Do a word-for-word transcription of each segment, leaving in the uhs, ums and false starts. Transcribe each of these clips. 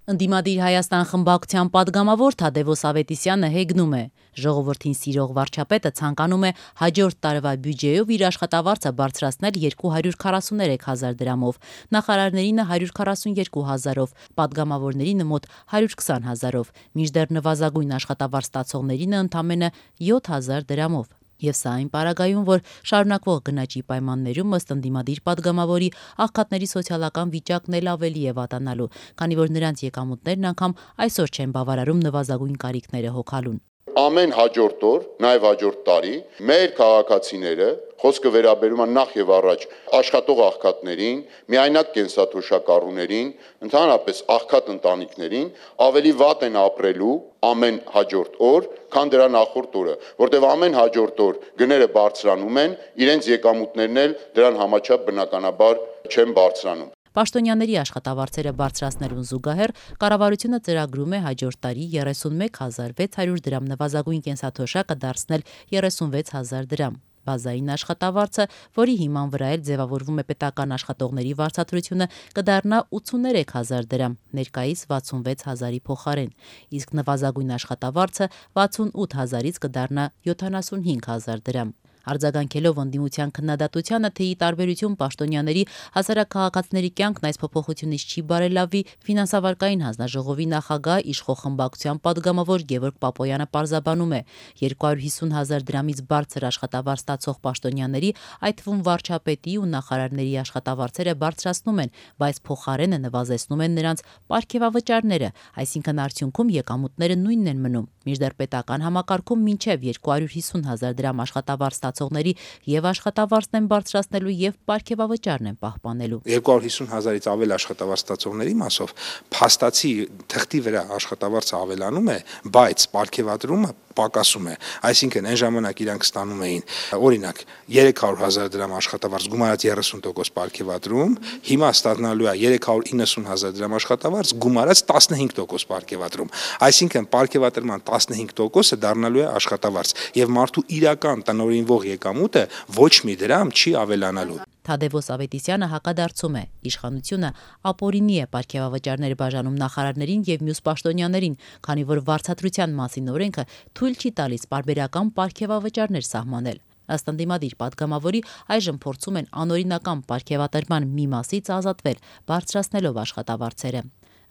Ընդդիմադիր Հայաստան խմբակցության պատգամավոր Թադևոս Ավետիսյանը հեգնում է. ժողովրդին սիրող վարչապետը ցանկանում է հաջորդ տարվա բյուջեով իր աշխատավարձը բարձրացնել երկու հարյուր քառասուներեք հազար դրամով, նախարարներինը հարյուր քառասունյոթ հազարով, պատգամավորներինը մոտ հարյուր քսան հազարով, մինչդեռ նվազագույն աշխատավարձ ստացողներինը ընդամենը յոթ հազար դրամով։ Եվ սա այն պարագայում, որ շարունակվող գնաճի պայմաններում ըստ ընդդիմադիր պատգամավորի աղքատների սոցիալական վիճակն էլ ավելի է վատանալու, քանի որ նրանց եկամուտներն անգամ այսօր չեն բավարարում նվազագույն կարիքները հոգալուն։ Ամեն հաջորդ օր, նաև հաջորդ տարի, մեր քաղաքացիները, խոսքը վերաբերում է նախ եւ առաջ աշխատող աղքատներին, միայնակ կենսաթոշակառուներին, ընդհանրապես աղքատ ընտանիքներին, ավելի վատ են ապրելու ամեն հաջորդ օր, քան դրա նախորդ օրը, որտեղ ամեն հաջորդ օր գները բարձրանում են, իրենց եկամուտներն էլ դրան համաչափ բնականաբար չեն բարձրանում։ Պաշտոնյաների աշխատավարձերը բարձրացնելուն զուգահեռ կառավարությունը ծրագրում է հաջորդ տարի երեսունմեկ հազար վեց հարյուր դրամ նվազագույն կենսաթոշակը դարձնել երեսունվեց հազար դրամ։ Բազային աշխատավարձը, որի հիման վրա էլ ձևավորվում է պետական աշխատողների վարձատրությունը, կդառնա ութսուներեք հազար դրամ, ներկայիս վաթսունվեց հազարի փոխարեն, իսկ նվազագույն աշխատավարձը վաթսունութ հազարից կդառնա յոթանասունհինգ հազար դրամ։ Արձագանքելով ընդդիմության քննադատությանը, թե ի տարբերություն պաշտոնյաների հասարակաքաղաքացիների կյանքն այս փոփոխությունից չի բարելավի, ֆինանսավարկային հանձնաժողովի նախագահ իշխող խմբակցության պատգամավոր Գևորգ Պապոյանը պարզաբանում է. երկու հարյուր հիսուն հազար դրամից բարձր աշխատավարձ ստացող պաշտոնյաների, այդ թվում վարչապետի ու նախարարների աշխատավարձերը բարձրացնում են, բայց փոխարենը նվազեցնում են նրանց պարգևավճարները, այսինքն արդյունքում եկամուտները նույնն են մնում, մինչդեռ պետական համակարգում մինչև երկու հարյուր հիսուն հազար դրամ աշխատավարձ ստացողների եւ աշխատավարձն են բարձրացնելու եւ պարգևավճարն են պահպանելու։ երկու հարյուր հիսուն հազարից ավել աշխատավարձ ստացողների մասով փաստացի թղթի վրա աշխատավարձը ավելանում է, բայց պարգևատրումը պակասում է, այսինքն այն ժամանակ իրանք ստանում էին օրինակ երեք հարյուր հազար դրամ աշխատավարձ գումարած երեսուն տոկոս պարգևատրում, հիմա ստանալու է երեք հարյուր իննսուն հազար դրամ աշխատավարձ գումարած տասնհինգ տոկոս պարգևատրում, այսինքն պարգևատրման տասնհինգ տոկոսը դառնալու է աշխատավարձ եւ մարդու իրական տնօրինվող եկամուտը ոչ մի դրամ չի ավելանալու։ Թադևոս Ավետիսյանը հակադարձում է. իշխանությունը ապօրինի է պարգևավճարներ բաժանում նախարարներին եւ մյուս պաշտոնյաներին, քանի որ վարձատրության մասին օրենքը թույլ չի տալիս պարբերական պարգևավճարներ սահմանել։ Ըստ ընդդիմադիր պատգամավորի, այժմ փորձում են անօրինական պարգևատրման մի մասից ազատվել, բարձրացնելով աշխատավարձերը։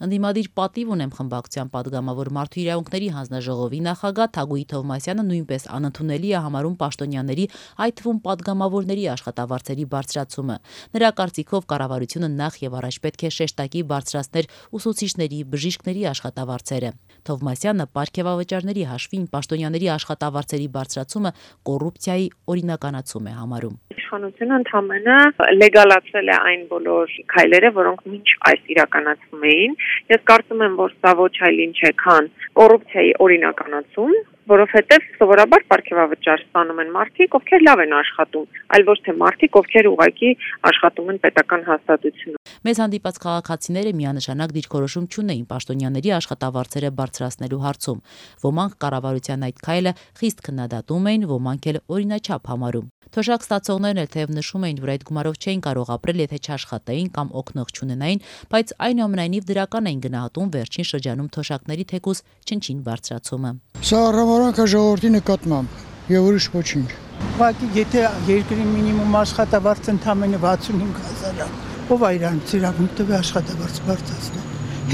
Ընդդիմադիր պատիվ ունեմ խմբակցության պատգամավոր Մարդու իրավունքների հանձնաժողովի նախագահ Թագուհի Թովմասյանը նույնպես անընդունելի է համարում պաշտոնյաների, այդ թվում պատգամավորների աշխատավարձերի բարձրացումը։ Նրա կարծիքով կառավարությունը նախ եւ առաջ պետք է շեշտակի բարձրացներ ուսուցիչների, բժիշկների աշխատավարձերը։ Թովմասյանը պարգևավճարների հաշվին պաշտոնյաների աշխատավարձերի բարձրացումը կոռուպցիայի օրինականացում է համարում։ Իշխանությունը ընդհանրապես լեգալացրել է այն բոլոր քայլերը, որոնք մինչ այս իրականացվում էին։ Ես կարծում եմ, որ սա ոչ այլ ինչ է, քան կոռուպցիայի օրինականացում, որովհետև սովորաբար պարգևավճար ստանում են մարդիկ, ովքեր լավ են աշխատում, այլ ոչ թե մարդիկ, ովքեր ուղղակի աշխատում են պետական հաստատությունում։ Մեզ հանդիպած քաղաքացիները միանշանակ դիրքորոշում չունեին պաշտոնյաների աշխատավարձերը բարձրացնելու հարցում։ Ոմանք կառավարության այդ քայլը խիստ քննադատում էին, ոմանք էլ օրինաչափ համարում։ Թոշակ ստացողներն էլ թեև նշում էին, որ այդ գումարով չէին կարող ապրել, եթե չաշխատեին կամ օգնող չունենային, բայց այնուամենայնիվ դրական էին գնահատում վերջին շրջանում թոշակների թեկուզ չնչին բարձրացումը։ Սա առավարանքը ժողովրդի նկատմամբ եւ ուրիշ ոչինչ։ Ուղղակի եթե երկրի մինիմում աշխատավարձը ընդամենը վաթսունհինգ հազար է, ով է իրանց իրավունք տվի աշխատավարձ բարձրացնել։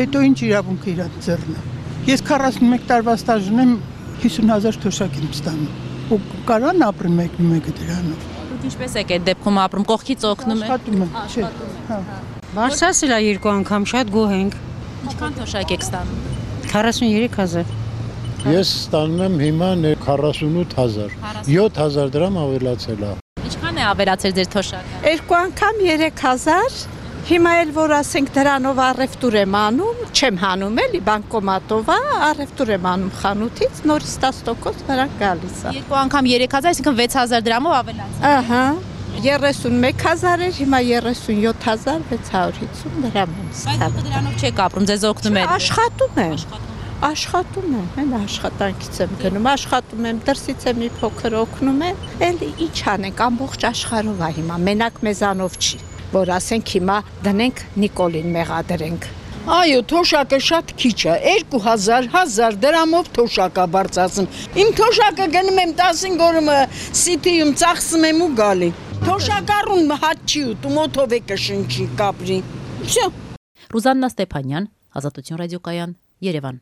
Հետո ինչ իրավունքը իրանց ձեռն է։ Ես քառասունմեկ տարվա ստաժ ունեմ, հիսուն հազար թոշակ եմ ստանում։ Ու կարան ապրեմ մեկ-մեկը դրանով։ Դուք ինչպես եք այդ դեպքում ապրում, կողքից օգնում եք։ Աշխատում եմ, չէ։ Հա։ Բարձրացել է երկու անգամ, շատ գոհ ենք։ Ինչքան թոշակ եք ստանում։ քառասունյոթ հազար։ Ես ստանում եմ հիմա քառասունութ հազար։ յոթ հազար դրամ ավելացել է։ Ինչքան է ավելացել ձեր թոշակը։ Երկու անգամ երեք հազար։ Հիմա էլ որ ասենք դրանով առևտուր եմ անում, չեմ հանում էլի բանկոմատով, առևտուր եմ անում խանութից, նորից տասը տոկոս նրանք գալիս է։ Երկու անգամ երեք հազար, այսինքն վեց հազար դրամով ավելացել։ Ահա, երեսունմեկ հազար էր, հիմա երեսունյոթ հազար վեց հարյուր հիսուն դրամ եմ ստանում։ Բայց դրանով չեք ապրում, ձեզ օգնում է։ Աշխատում եմ։ Աշխատում եմ, հենց աշխատանքից եմ գնում, աշխատում եմ, դրսից եմ մի փոքր օգնում եմ, էլի ինչ անենք, ամբողջ աշխարհով է հիմա, մենակ մեզանով չի, որ ասենք հիմա դնենք Նիկոլին մեղադրենք։ Այո, թոշակը շատ քիչ է, երկու հազար, հազար դրամով թոշակա բարձրացնում։ Իմ թոշակը գնում եմ տասնհինգ օրը սիթիում ծախսում եմ ու գալի։ Թոշակառուն հաճ չի ուտում, օթով է կշնչի, կապրի։ Всё։ Ռուզաննա Ստեփանյան, Ազատություն ռադիոկայան, Երևան։